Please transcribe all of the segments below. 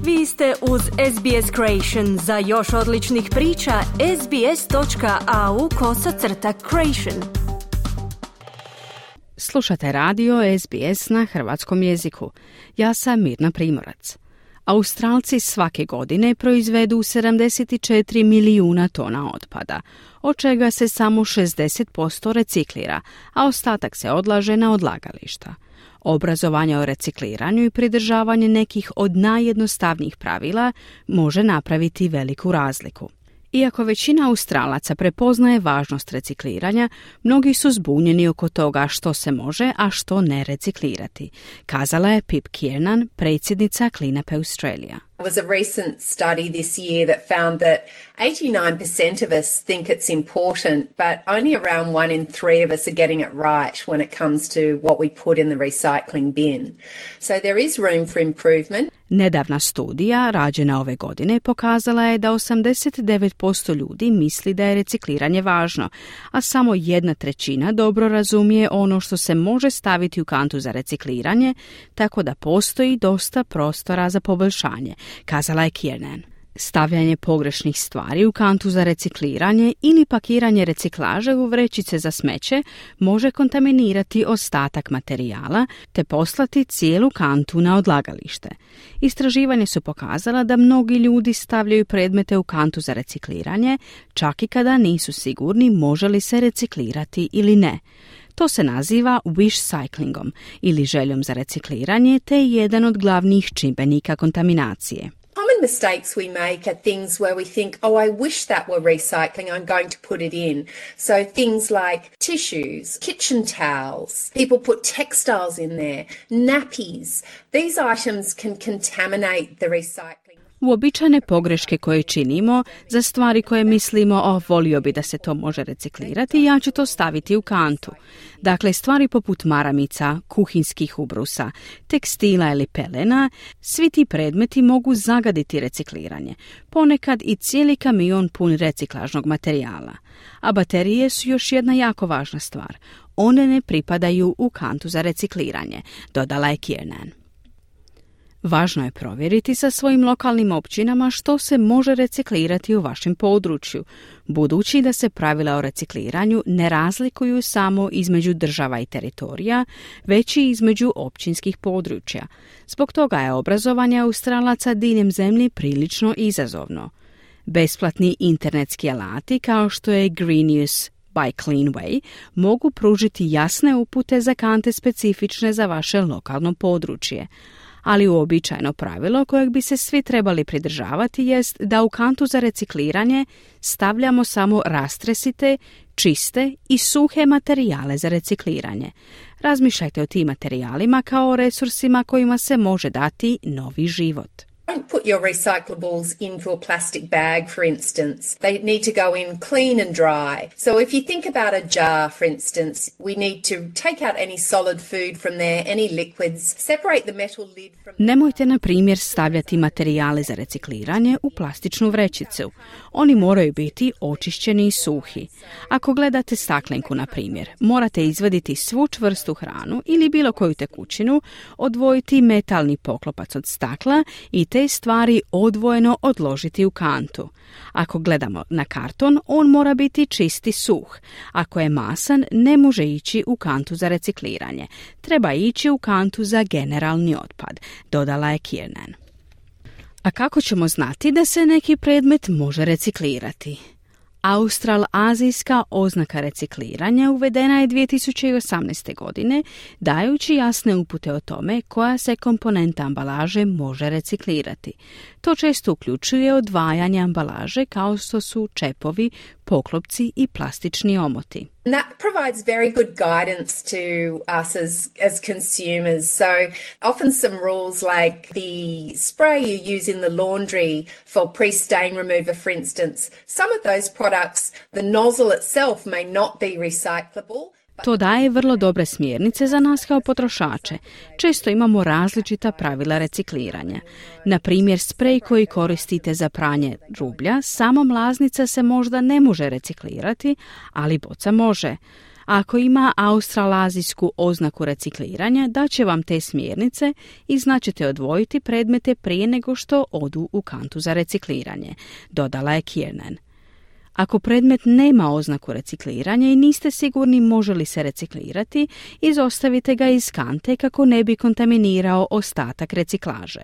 Vi ste uz SBS Creation. Za još odličnih priča, sbs.au/creation. Slušate radio SBS na hrvatskom jeziku. Ja sam Mirna Primorac. Australci svake godine proizvedu 74 milijuna tona otpada, od čega se samo 60% reciklira, a ostatak se odlaže na odlagališta. Obrazovanje o recikliranju i pridržavanje nekih od najjednostavnijih pravila može napraviti veliku razliku. Iako većina Australaca prepoznaje važnost recikliranja, mnogi su zbunjeni oko toga što se može, a što ne reciklirati, kazala je Pip Kiernan, predsjednica Clean Up Australia. There was a recent study this year that found that 89% of us think it's important, but only around 1 in 3 of us are getting it right when it comes to what we put in the recycling bin. So there is room for improvement. Nedavna studija, rađena ove godine, pokazala je da 89% ljudi misli da je recikliranje važno, a samo 1/3 dobro razumije ono što se može staviti u kantu za recikliranje, tako da postoji dosta prostora za poboljšanje, kazala je Kiernan. Stavljanje pogrešnih stvari u kantu za recikliranje ili pakiranje reciklaže u vrećice za smeće može kontaminirati ostatak materijala te poslati cijelu kantu na odlagalište. Istraživanje su pokazala da mnogi ljudi stavljaju predmete u kantu za recikliranje, čak i kada nisu sigurni može li se reciklirati ili ne. To se naziva wish cyclingom ili željom za recikliranje te je jedan od glavnih čimbenika kontaminacije. Common mistakes we make are things where we think, oh, I wish that were recycling, I'm going to put it in. So things like tissues, kitchen towels, people put textiles in there, nappies. These items can contaminate the recycling. Uobičajene pogreške koje činimo za stvari koje mislimo, volio bi da se to može reciklirati, ja ću to staviti u kantu. Dakle, stvari poput maramica, kuhinskih ubrusa, tekstila ili pelena, svi ti predmeti mogu zagaditi recikliranje, ponekad i cijeli kamion pun reciklažnog materijala. A baterije su još jedna jako važna stvar. One ne pripadaju u kantu za recikliranje, dodala je Kiernan. Važno je provjeriti sa svojim lokalnim općinama što se može reciklirati u vašem području, budući da se pravila o recikliranju ne razlikuju samo između država i teritorija, već i između općinskih područja. Zbog toga je obrazovanje Australaca diljem zemlje prilično izazovno. Besplatni internetski alati kao što je Green Use by Cleanway mogu pružiti jasne upute za kante specifične za vaše lokalno područje. Ali uobičajeno pravilo kojeg bi se svi trebali pridržavati jest da u kantu za recikliranje stavljamo samo rastresite, čiste i suhe materijale za recikliranje. Razmišljajte o tim materijalima kao o resursima kojima se može dati novi život. Don't put your recyclables into a plastic bag, for instance. They need to go in clean and dry. So if you think about a jar, for instance, we need to take out any solid food from there, any liquids, separate the metal lid from... Nemojte, na primjer, stavljati materijale za recikliranje u plastičnu vrećicu. Oni moraju biti očišćeni i suhi. Ako gledate staklenku, na primjer, morate izvaditi svu čvrstu hranu ili bilo koju tekućinu, odvojiti metalni poklopac od stakla i te stvari odvojeno odložiti u kantu. Ako gledamo na karton, on mora biti čisti suh. Ako je masan, ne može ići u kantu za recikliranje. Treba ići u kantu za generalni otpad, dodala je Kiernan. A kako ćemo znati da se neki predmet može reciklirati? Australazijska oznaka recikliranja uvedena je 2018. godine, dajući jasne upute o tome koja se komponenta ambalaže može reciklirati. To često uključuje odvajanje ambalaže kao što su čepovi, poklopci i plastični omoti. And that provides very good guidance to us as consumers. So often some rules like the spray you use in the laundry for pre-stain remover, for instance, some of those products, the nozzle itself may not be recyclable. To daje vrlo dobre smjernice za nas kao potrošače. Često imamo različita pravila recikliranja. Na primjer, sprej koji koristite za pranje rublja, samo mlaznica se možda ne može reciklirati, ali boca može. Ako ima australazijsku oznaku recikliranja, daće vam te smjernice i znaćete odvojiti predmete prije nego što odu u kantu za recikliranje, dodala je Kiernan. Ako predmet nema oznaku recikliranja i niste sigurni može li se reciklirati, izostavite ga iz kante kako ne bi kontaminirao ostatak reciklaže.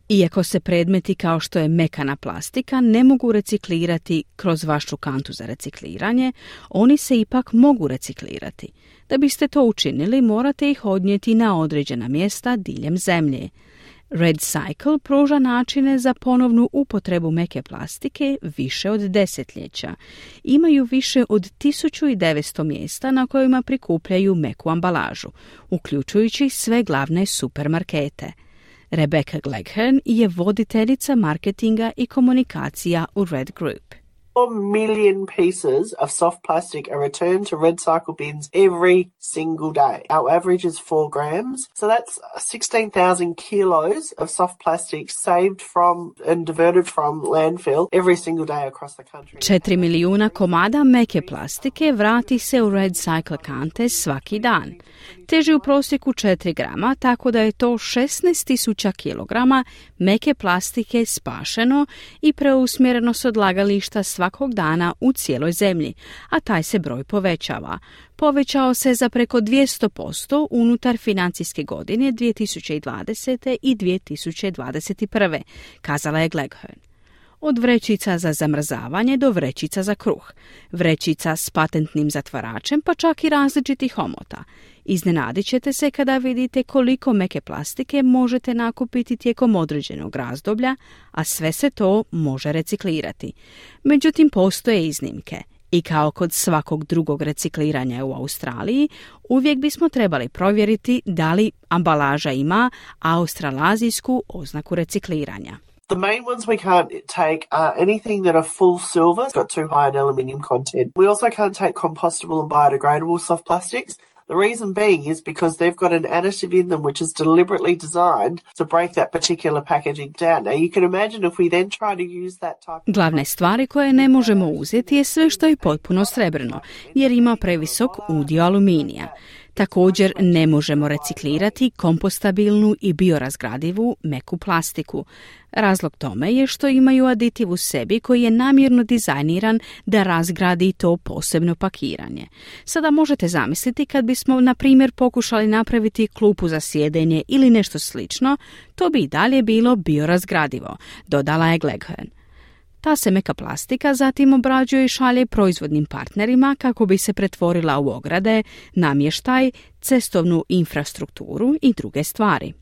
Iako se predmeti kao što je mekana plastika ne mogu reciklirati kroz vašu kantu za recikliranje, oni se ipak mogu reciklirati. Da biste to učinili, morate ih odnijeti na određena mjesta diljem zemlje. REDcycle pruža načine za ponovnu upotrebu meke plastike više od desetljeća. Imaju više od 1900 mjesta na kojima prikupljaju meku ambalažu, uključujući sve glavne supermarkete. Rebecca Gleghorn je voditeljica marketinga i komunikacija u Red Group. 4 million pieces of soft plastic are returned to REDcycle bins every single day. Our average is 4 grams. So that's 16,000 kilos of soft plastic saved from and diverted from landfill every single day across the country. 4 milijuna komada meke plastike vrati se u REDcycle kante svaki dan. Teži u prosjeku 4 grama, tako da je to 16.000 kilograma meke plastike spašeno i preusmjereno s odlagališta svakog dana u cijeloj zemlji, a taj se broj povećava. Povećao se za preko 200% unutar financijske godine 2020. i 2021. kazala je Gleghorn. Od vrećica za zamrzavanje do vrećica za kruh, vrećica s patentnim zatvaračem pa čak i različitih omota. Iznenadit ćete se kada vidite koliko meke plastike možete nakupiti tijekom određenog razdoblja, a sve se to može reciklirati. Međutim, postoje iznimke. I kao kod svakog drugog recikliranja u Australiji, uvijek bismo trebali provjeriti da li ambalaža ima australazijsku oznaku recikliranja. The main ones we can't take are anything that are full silver, got too high an aluminium content. We also can't take compostable and biodegradable soft plastics. The reason being is because they've got an additive in them which is deliberately designed to break that particular packaging down. Now you can imagine if we then try to use that type of... Glavne stvari koje ne možemo uzeti je sve što je potpuno srebrno, jer ima previsok udio aluminija. Također ne možemo reciklirati kompostabilnu i biorazgradivu meku plastiku. Razlog tome je što imaju aditiv u sebi koji je namjerno dizajniran da razgradi to posebno pakiranje. Sada možete zamisliti kad bismo, na primjer, pokušali napraviti klupu za sjedenje ili nešto slično, to bi i dalje bilo biorazgradivo, dodala je Gleghorn. Ta se meka plastika zatim obrađuje i šalje proizvodnim partnerima kako bi se pretvorila u ograde, namještaj, cestovnu infrastrukturu i druge stvari.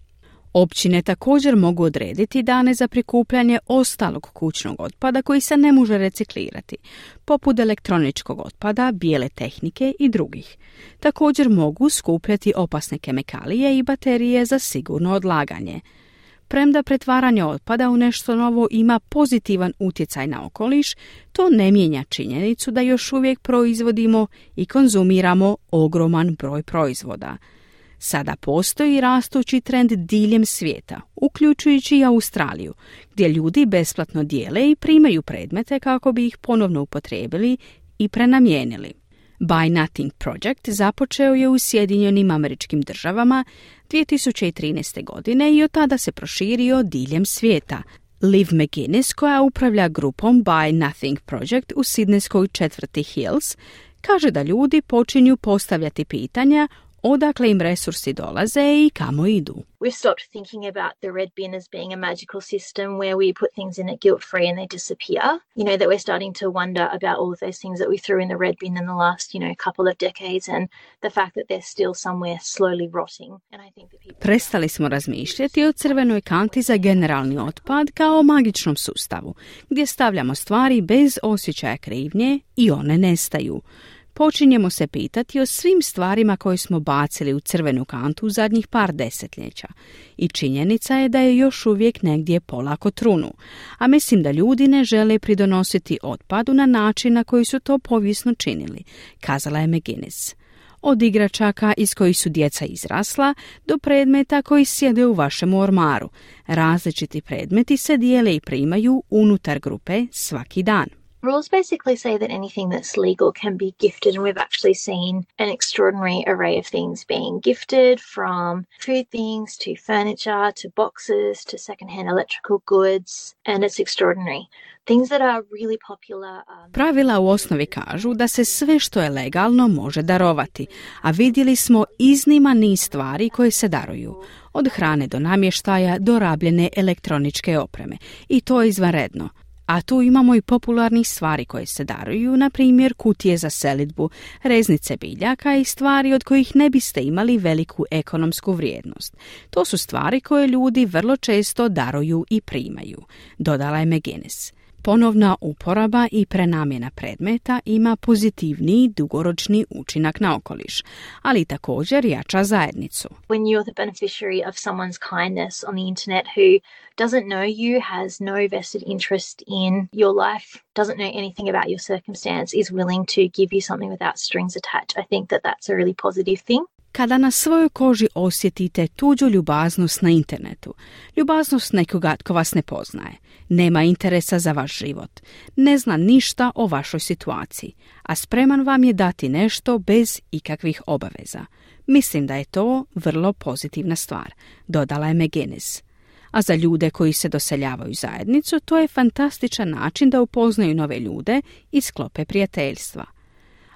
Općine također mogu odrediti dane za prikupljanje ostalog kućnog otpada koji se ne može reciklirati, poput elektroničkog otpada, bijele tehnike i drugih. Također mogu skupljati opasne kemikalije i baterije za sigurno odlaganje. Premda pretvaranje otpada u nešto novo ima pozitivan utjecaj na okoliš, to ne mijenja činjenicu da još uvijek proizvodimo i konzumiramo ogroman broj proizvoda. Sada postoji rastući trend diljem svijeta, uključujući i Australiju, gdje ljudi besplatno dijele i primaju predmete kako bi ih ponovno upotrijebili i prenamijenili. Buy Nothing Project započeo je u Sjedinjenim Američkim Državama 2013. godine i od tada se proširio diljem svijeta. Liv McGuinness, koja upravlja grupom Buy Nothing Project u sidnejskoj četvrti Hills, kaže da ljudi počinju postavljati pitanja odakle im resursi dolaze i kamo idu. We've stopped thinking about the red bin as being a magical system where we put things in it guilt-free and they disappear. You know, that we're starting to wonder about all of those things that we threw in the red bin in the last, couple of decades and the fact that they're still somewhere slowly rotting. And I think that people... Prestali smo razmišljati o crvenoj kanti za generalni otpad kao o magičnom sustavu, gdje stavljamo stvari bez osjećaja krivnje i one nestaju. Počinjemo se pitati o svim stvarima koje smo bacili u crvenu kantu u zadnjih par desetljeća. I činjenica je da je još uvijek negdje polako trunu. A mislim da ljudi ne žele pridonositi otpadu na način na koji su to povijesno činili, kazala je McGuinness. Od igračaka iz kojih su djeca izrasla do predmeta koji sjede u vašem ormaru. Različiti predmeti se dijele i primaju unutar grupe svaki dan. Rules basically say that anything that's legal can be gifted, and we've actually seen an extraordinary array of things being gifted, from food things to furniture to boxes to secondhand electrical goods, and it's extraordinary. Things that are really popular. Pravila u osnovi kažu da se sve što je legalno može darovati, a vidjeli smo izniman niz stvari koje se daruju. Od hrane do namještaja do rabljene elektroničke opreme. I to je izvanredno. A tu imamo i popularnih stvari koje se daruju, na primjer kutije za selidbu, reznice biljaka i stvari od kojih ne biste imali veliku ekonomsku vrijednost. To su stvari koje ljudi vrlo često daruju i primaju, dodala je McGuinness. Ponovna uporaba i prenamjena predmeta ima pozitivniji dugoročni učinak na okoliš, ali također jača zajednicu. When you're the beneficiary of someone's kindness on the internet who doesn't know you, has no vested interest in your life, doesn't know anything about your circumstance, is willing to give you something without strings attached, I think that that's a really positive thing. Kada na svojoj koži osjetite tuđu ljubaznost na internetu, ljubaznost nekoga tko vas ne poznaje, nema interesa za vaš život, ne zna ništa o vašoj situaciji, a spreman vam je dati nešto bez ikakvih obaveza. Mislim da je to vrlo pozitivna stvar, dodala je McGuinness. A za ljude koji se doseljavaju u zajednicu, to je fantastičan način da upoznaju nove ljude i sklope prijateljstva.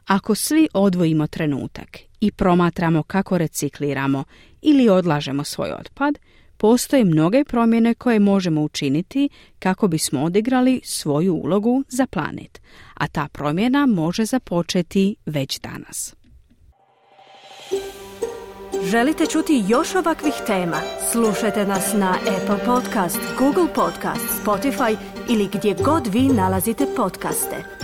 Ako svi odvojimo trenutak i promatramo kako recikliramo ili odlažemo svoj otpad, postoje mnoge promjene koje možemo učiniti kako bismo odigrali svoju ulogu za planet, a ta promjena može započeti već danas. Želite čuti još ovakvih tema? Slušajte nas na Apple Podcast, Google Podcast, Spotify ili gdje god vi nalazite podcaste.